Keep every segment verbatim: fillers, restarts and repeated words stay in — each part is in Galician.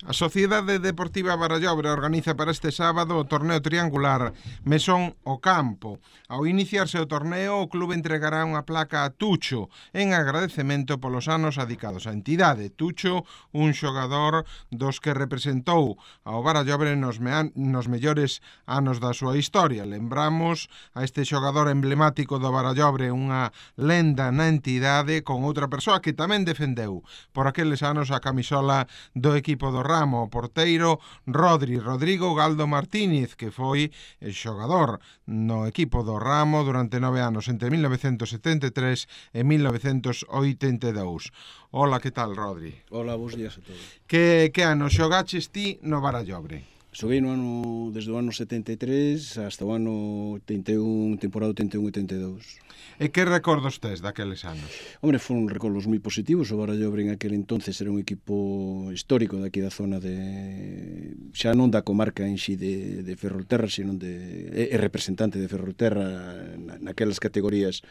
A Sociedade Deportiva Barallobre organiza para este sábado o torneo triangular Mesón o Campo. Ao iniciarse o torneo, o clube entregará unha placa a Tucho en agradecemento polos anos adicados á entidade. Tucho, un xogador dos que representou ao Barallobre nos, me nos mellores anos da súa historia. Lembramos a este xogador emblemático do Barallobre, unha lenda na entidade, con outra persoa que tamén defendeu por aqueles anos a camisola do equipo do Ramo, o porteiro Rodri, Rodrigo Galdo Martínez, que foi xogador no equipo do Ramo durante nove anos, entre mil novecentos setenta e tres e mil novecentos oitenta e dous. Hola, que tal, Rodri? Hola, bons días a todos. Que, que ano xogaches ti no Barallobre? Xoguei no ano, desde o ano setenta e tres hasta o ano oitenta e un, temporada oitenta e un oitenta e dous. E que recordos tes daqueles anos? Hombre, foron recordos moi positivos. O Barallobre en aquel entonces era un equipo histórico daqui da zona de... xa non da comarca en xi de, de Ferrolterra, sino de... é representante de Ferrolterra naquelas categorías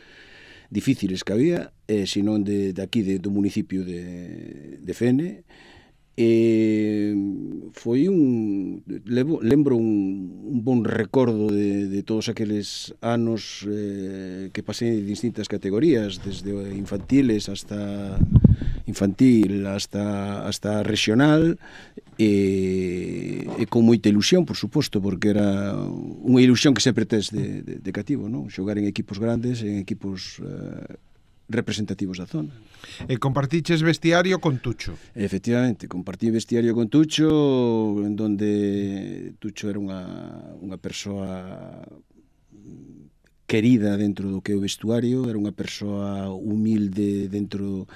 difíciles que había, eh, sino de, de aquí, de, do municipio de, de Fene. E foi un levo, lembro un, un bon recordo de, de todos aqueles anos eh, que pasei en distintas categorías, desde infantiles hasta infantil hasta, hasta regional, e, e con moita ilusión, por suposto, porque era unha ilusión que sempre tes de, de, de cativo, non? Xogar en equipos grandes, en equipos eh, representativos da zona. E compartiches vestiario con Tucho? Efectivamente, compartí vestiario con Tucho, en donde Tucho era unha, unha persoa querida dentro do que é o vestuario, era unha persoa humilde dentro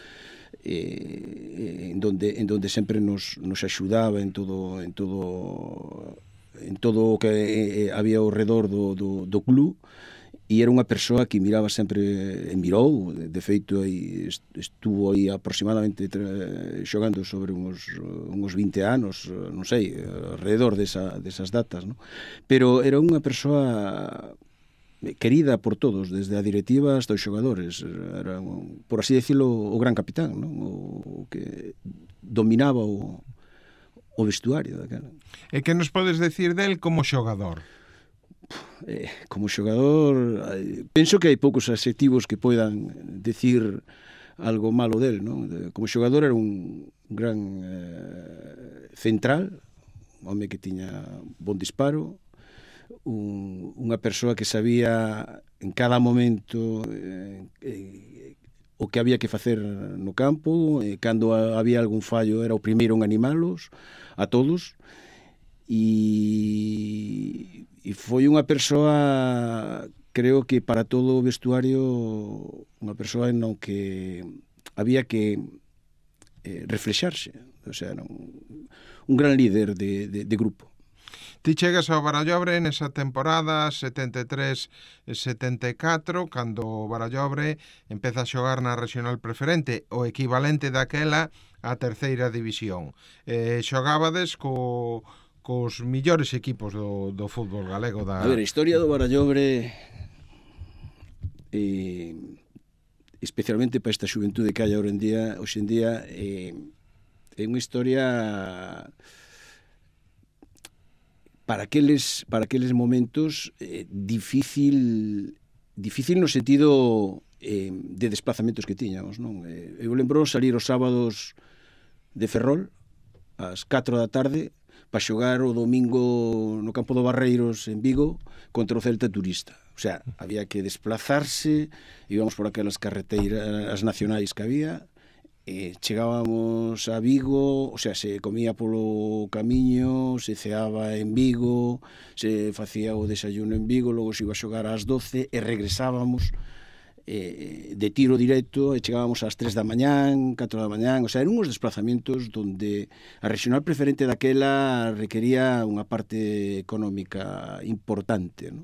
eh, en donde en donde sempre nos nos axudaba en todo en todo en todo o que eh, había ao redor do do do club. E era unha persoa que miraba sempre, e mirou, de feito aí estuvo aí aproximadamente xogando sobre uns, uns vinte anos, non sei, alrededor desa, desas datas, non? Pero era unha persoa querida por todos, desde a directiva hasta os xogadores. Era, por así decirlo, o gran capitán, non? O que dominaba o, o vestuario daquela. E que nos podes decir del como xogador? Eh, como xogador, penso que hai poucos adxectivos que poidan decir algo malo del, non? Como xogador era un gran eh, central, un home que tiña bon disparo, un, unha persoa que sabía en cada momento eh, eh, o que había que facer no campo, eh, cando había algún fallo era o primeiro en animalos a todos, e e foi unha persoa, creo que para todo o vestuario, unha persoa en non que había que eh, reflexarse, o sea, era un, un gran líder de, de, de grupo. Ti chegas ao Barallobre nesa temporada setenta e tres setenta e catro, cando o Barallobre empeza a xogar na regional preferente, o equivalente daquela á terceira división. Eh, xogabades co... cos millores equipos do, do fútbol galego da... A ver, a historia do Barallobre eh, especialmente para esta xuventude que hai hoxe en día, hoxe en día eh, é unha historia para aqueles, para aqueles momentos eh, difícil difícil no sentido eh, de desplazamentos que tiñamos, non? Eh, eu lembro salir os sábados de Ferrol ás catro da tarde para xogar o domingo no campo do Barreiros en Vigo contra o Celta Turista. O sea, había que desplazarse, íbamos por aquelas carreteiras nacionais que había, e chegábamos a Vigo, o sea, se comía polo camiño, se ceaba en Vigo, se facía o desayuno en Vigo, logo se iba a xogar ás doce e regresábamos Eh, de tiro directo, e chegábamos ás tres da mañán, catro da mañán, o sea, eran uns desplazamentos donde a regional preferente daquela requería unha parte económica importante, ¿no?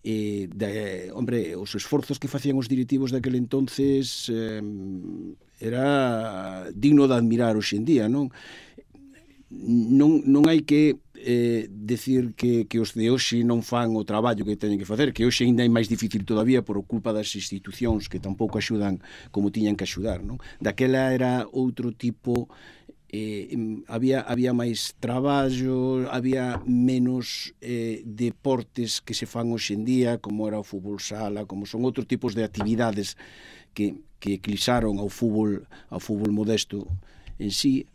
E, de, hombre, os esforzos que facían os directivos daquele entonces eh, era digno de admirar hoxe en día, non? Non, non hai que eh, decir que, que os de hoxe non fan o traballo que teñen que facer, que hoxe ainda é máis difícil todavía por culpa das institucións que tampouco axudan como tiñan que axudar, non? Daquela era outro tipo eh, había, había máis traballo, había menos eh, deportes que se fan hoxe en día, como era o fútbol sala, como son outros tipos de actividades que, que eclipsaron ao fútbol, ao fútbol modesto en sí.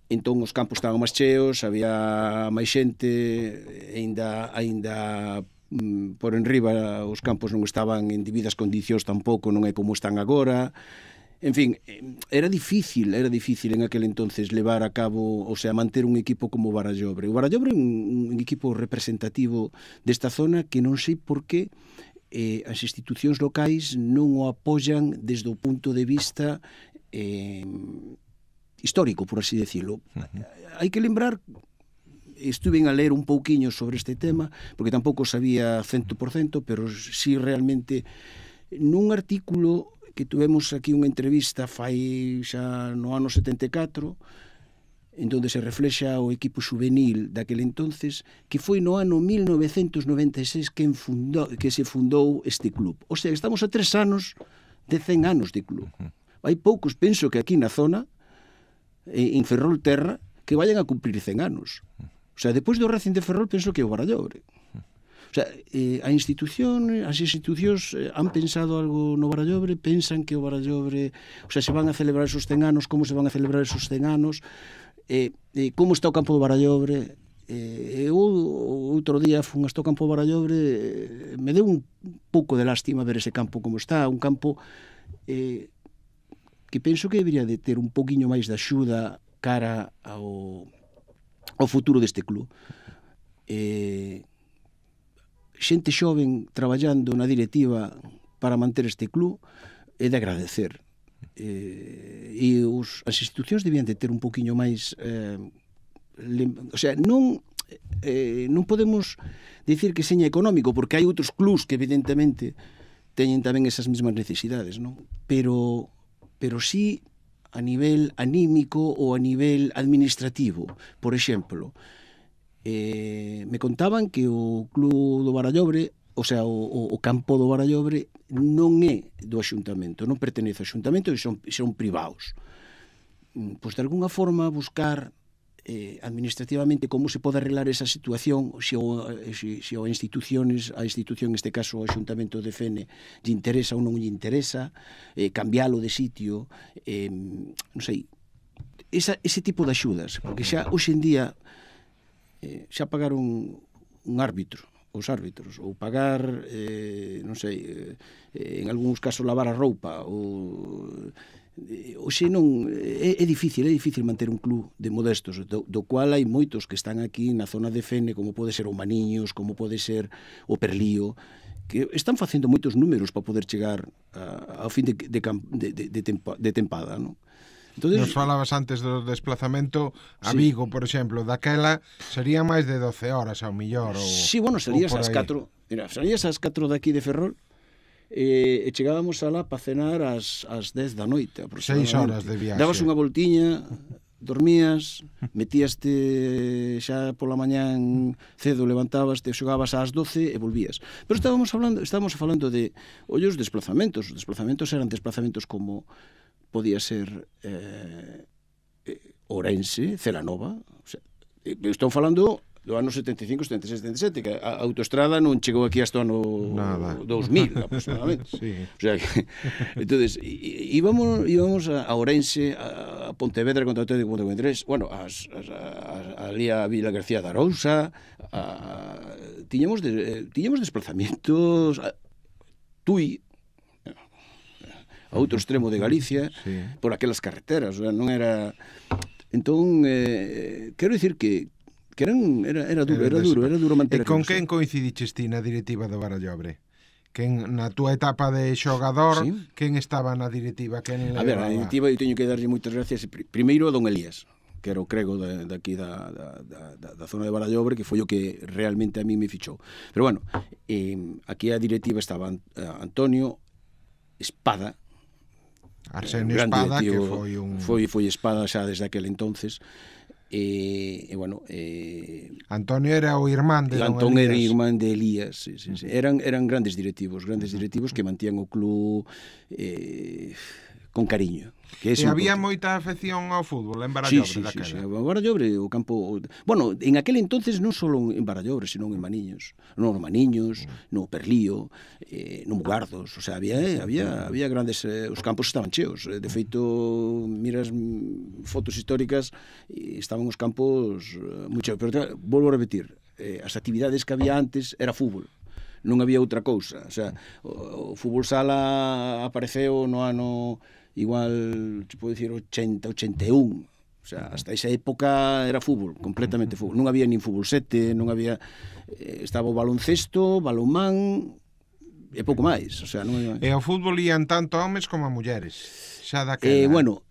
Entón os campos estaban máis cheos, había máis xente, aínda aínda mm, por enriba os campos non estaban en debidas condicións tampouco, non é como están agora. En fin, era difícil, era difícil en aquel entonces levar a cabo, o sea, manter un equipo como o Barallobre. O Barallobre é un, un equipo representativo desta zona que non sei por qué eh, as institucións locais non o apoian desde o punto de vista eh, histórico, por así decirlo. Uh-huh. Hai que lembrar, estuve a ler un pouquiño sobre este tema, porque tampouco sabía cento por cento, pero sí realmente nun artículo que tuvemos aquí unha entrevista fai xa no ano setenta e catro, en donde se reflexa o equipo juvenil daquele entonces, que foi no ano mil novecentos noventa e seis que, fundou, que se fundou este club. O sea, estamos a tres anos de cen anos de club. Hai poucos, penso que aquí na zona, en Ferrol Terra, que vayan a cumplir cen anos. O sea, depois do Racing de Ferrol, penso que é o Barallobre. O sea, eh, a institución, as institucións eh, han pensado algo no Barallobre, pensan que o Barallobre, o sea, se van a celebrar esos cen anos, como se van a celebrar esos cen anos, eh, eh, como está o campo do Barallobre. Eh, eu outro día fun hasta o campo do Barallobre, eh, me deu un pouco de lástima ver ese campo como está, un campo eh, que penso que debería de ter un poquinho máis de axuda cara ao, ao futuro deste club. Eh, xente xoven traballando na directiva para manter este club é de agradecer, eh, e os, as institucións debían de ter un poquinho máis eh, lem, o sea, non eh, non podemos dicir que seña económico, porque hai outros clubs que evidentemente teñen tamén esas mesmas necesidades, non? Pero, pero sí a nivel anímico ou a nivel administrativo. Por exemplo, Eh, me contaban que o club do Barallobre, o sea, o, o campo do Barallobre non é do Axuntamento, non pertenece ao Axuntamento, e son, son privados. Pois de alguna forma buscar eh, administrativamente como se pode arreglar esa situación, se o, se, se o instituciones, a institución, neste caso o Axuntamento de Fene, lle interesa ou non lle interesa, eh, cambiálo de sitio, eh, non sei, esa, ese tipo de axudas, porque xa hoxe en día Eh, xa pagar un, un árbitro, os árbitros, ou pagar, eh, non sei, eh, en algúns casos lavar a roupa, ou eh, hoxe non, é, é difícil, é difícil manter un club de modestos, do, do cual hai moitos que están aquí na zona de Fene, como pode ser o Maniños, como pode ser o Perlío, que están facendo moitos números para poder chegar a, ao fin de, de, de, de, de, tempa, de tempada, non? Entonces, nos falabas antes do desplazamento a sí. Vigo, por exemplo, daquela sería máis de doce horas ao millor ou, sí, bueno, salías ás catro, mira, salías ás catro daqui de Ferrol e, e chegábamos alá para cenar ás, ás dez da noite seis horas de viaxe. Dabas unha voltiña, dormías, metíaste xa pola mañán cedo, levantabas, te xogabas ás doce e volvías. Pero estábamos falando, estábamos falando de ollos desplazamentos, os desplazamentos eran desplazamentos como podía ser eh, Ourense, Celanova, o sea, estou falando do ano setenta e cinco, setenta e seis, setenta e sete, que a autoestrada non chegou aquí hasta o ano Nada. dos mil, aproximadamente. Sí. O sea, que, entonces, íbamos, íbamos a Ourense, a Pontevedra, contra o Atlético de Ponte tres, bueno, as, as, a, ali a Vila García de Arousa, a, tiñamos, de, tiñamos desplazamientos, a Tui, a outro extremo de Galicia, sí. Por aquelas carreteras, o sea, non era... Entón, eh, quero dicir que que eran, era, era duro, era duro, era duro manter... E con quen coincidiches ti na directiva do Barallobre? Quen, na túa etapa de xogador, sí. Quen estaba na directiva? Quen a ver, na directiva eu teño que darlle moitas gracias primeiro a don Elías, que era o crego de, de aquí da, da, da, da zona de Barallobre, que foi o que realmente a mí me fichou. Pero bueno, eh, aquí a directiva estaba Antonio Espada, Arsenio Espada, que foi un... Foi, foi Espada xa desde aquel entonces. E, e bueno... E... Antonio era o irmán de Antón era irmán de Elías. Sí, sí, sí. Eran, eran grandes directivos, grandes directivos que mantían o club... Eh, con cariño. Que e había moita afección ao fútbol en Barallobre sí, sí, daquela. Sí, sí, o Barallobre, o campo... Bueno, en aquel entonces non só en Barallobre, senón en Maniños. No, no Maniños, no Perlío, eh, no Mugardos. O sea, había, eh, había, había grandes... Eh, os campos estaban cheos. De feito, miras fotos históricas, e estaban os campos eh, moi cheos. Pero, volvo a repetir, eh, as actividades que había antes era fútbol. Non había outra cousa. O sea, o, o fútbol sala apareceu no ano... igual, se pode dicir, ochenta, ochenta e un. O sea, hasta esa época era fútbol, completamente fútbol. Non había nin fútbol sete, non había... Eh, estaba o baloncesto, balonmán e pouco máis. O sea, non había... E ao fútbol ían tanto homes como a mulleres. Xa daquela. Eh, bueno,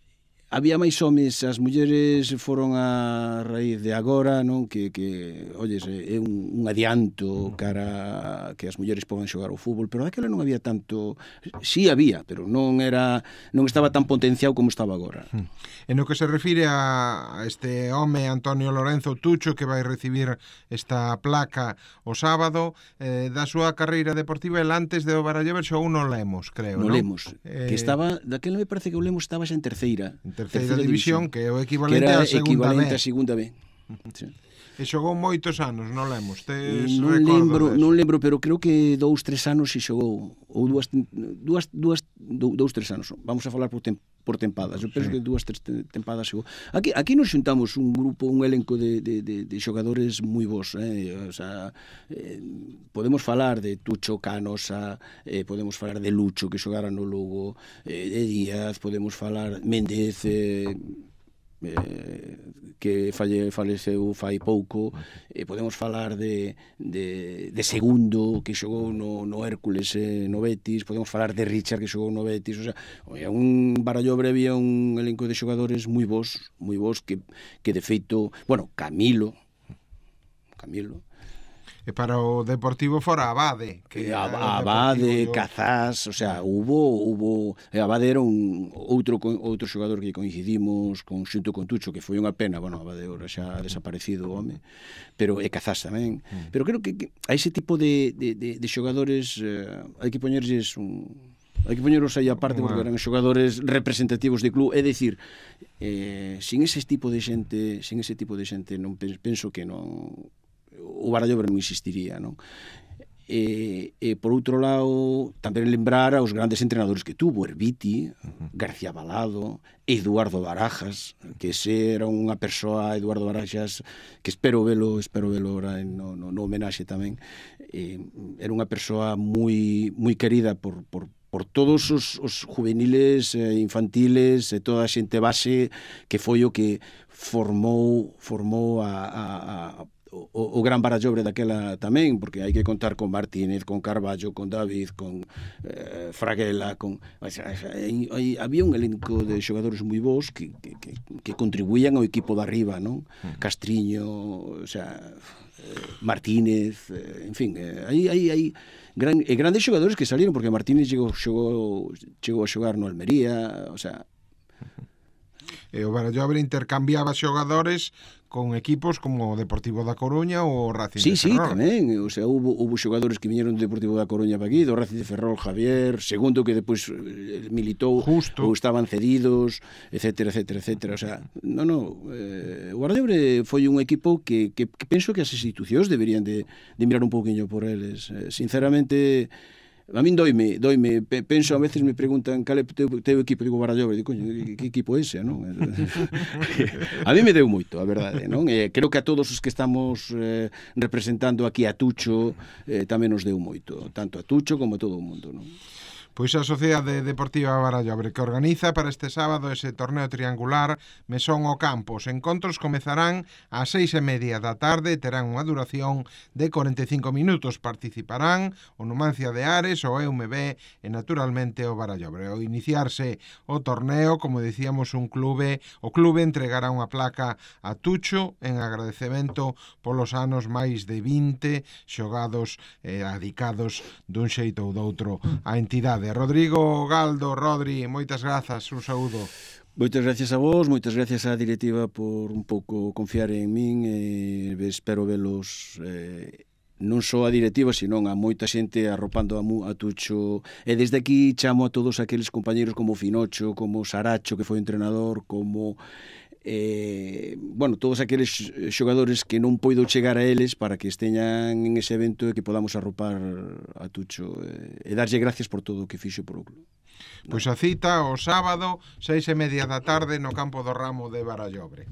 había máis homes, as mulleres foron a raíz de agora, non? Que, que olles, é un, un adianto cara que as mulleres poden xogar ao fútbol, pero daquela non había tanto... Sí había, pero non era non estaba tan potenciado como estaba agora. En o que se refire a este home Antonio Lorenzo Tucho, que vai recibir esta placa o sábado, eh, da súa carreira deportiva, el antes de o Barallobre xogou no Lemos, creo, no non? Lemos, eh... que estaba, daquela me parece que o Lemos estaba xa en terceira. En terceira, terceira división, división, que é o equivalente que era a segunda equivalente B. a segunda B. Sí. E xogou moitos anos, non lemos. Tes non lembro, non lembro, pero creo que dous, tres anos se xogou, ou dúas, dúas, dúas dous, tres anos. Vamos a falar por, tem, por tempadas. Eu penso sí. que dúas, tres tempadas xogou. Aquí, aquí nos xuntamos un grupo, un elenco de, de, de, de xogadores moi bons, eh? O sea, eh, podemos falar de Tucho Canosa, eh, podemos falar de Lucho, que xogara no Lugo, eh, de Díaz, podemos falar Méndez, eh, Eh, que falle, faleceu fai pouco, eh, podemos falar de, de, de Segundo, que xogou no, no Hércules, eh, no Betis, podemos falar de Richard, que xogou no Betis. O sea, un Barallobre había un elenco de xogadores moi bons, moi bons, que, que de feito, bueno, Camilo Camilo E para o Deportivo fora Abade, que Abade, Cazás, o sea, hubo hubo Abade era un outro outro xogador que coincidimos con xunto con Tucho, que foi unha pena, bueno, Abade ora xa desaparecido o home, pero e Cazás tamén. Mm. Pero creo que, que a ese tipo de, de, de, de xogadores eh, hai que poñerlles un hai que poñeros aí aparte, porque eran xogadores representativos de club, é dicir, eh, sin ese tipo de xente, sin ese tipo de xente non penso que non o Barallobre non existiría, non? E, e por outro lado, tamén lembrar aos grandes entrenadores que tuvo, Herbiti, García Balado, Eduardo Barajas, que ese era unha persoa, Eduardo Barajas, que espero velo, espero velo ora no, no, no homenaxe tamén. Eh, era unha persoa moi moi querida por, por por todos os, os juveniles, eh, infantiles e toda a xente base que foi o que formou formou a, a, a O, o gran Barallobre daquela tamén, porque hai que contar con Martínez, con Carballo, con David, con eh, Fraguela, con... O sea, hai, hai, había un elenco de xogadores moi bons que, que, que, que contribuían ao equipo de arriba, non? Uh-huh. Castriño, o sea, eh, Martínez, eh, en fin, eh, hai, hai, hai gran, eh, grandes xogadores que salieron, porque Martínez chegou, chegou, chegou a xogar no Almería, o sea... E o Barallobre intercambiaba xogadores con equipos como o Deportivo da Coruña ou o Racing sí, de Ferrol. Sí, tamén, o sea, hubo, hubo xogadores que viñeron do Deportivo da Coruña para aquí, do Racing de Ferrol, Javier, Segundo, que depois militou, Justo. Ou estaban cedidos, etcétera, etcétera, etcétera. O sea, no, no, eh, o Barallobre foi un equipo que, que, que penso que as institucións deberían de, de mirar un pouquiño por eles. Eh, sinceramente... A min doime, doime, penso, a veces me preguntan cal é o teu, teu equipo, digo Barallobre, digo, coño, que equipo é ese, non? A mí me deu moito, a verdade, non? E creo que a todos os que estamos eh, representando aquí a Tucho eh, tamén nos deu moito, tanto a Tucho como a todo o mundo, non? Pois a Sociedade Deportiva Barallobre, que organiza para este sábado ese torneo triangular Mesón o Campo. Os encontros comezarán ás seis e media da tarde, terán unha duración de cuarenta e cinco minutos. Participarán o Numancia de Ares, o E M B e naturalmente o Barallobre. Ao iniciarse o torneo, como dicíamos, un clube, o clube entregará unha placa a Tucho en agradecemento polos anos máis de vinte xogados e adicados dun xeito ou doutro á entidade. Rodrigo Galdo, Rodri, moitas grazas, un saúdo. Moitas gracias a vos, moitas gracias á directiva por un pouco confiar en min e espero velos eh, non só a directiva, senón a moita xente arropando a, mu, a Tucho. E desde aquí chamo a todos aqueles compañeros como Finocho, como Saracho, que foi entrenador, como eh, bueno, todos aqueles xogadores que non poido chegar a eles para que esteñan en ese evento e que podamos arropar a Tucho e, e darlle gracias por todo o que fixo por o club. Pois a cita o sábado, seis e media da tarde, no campo do Ramo de Barallobre.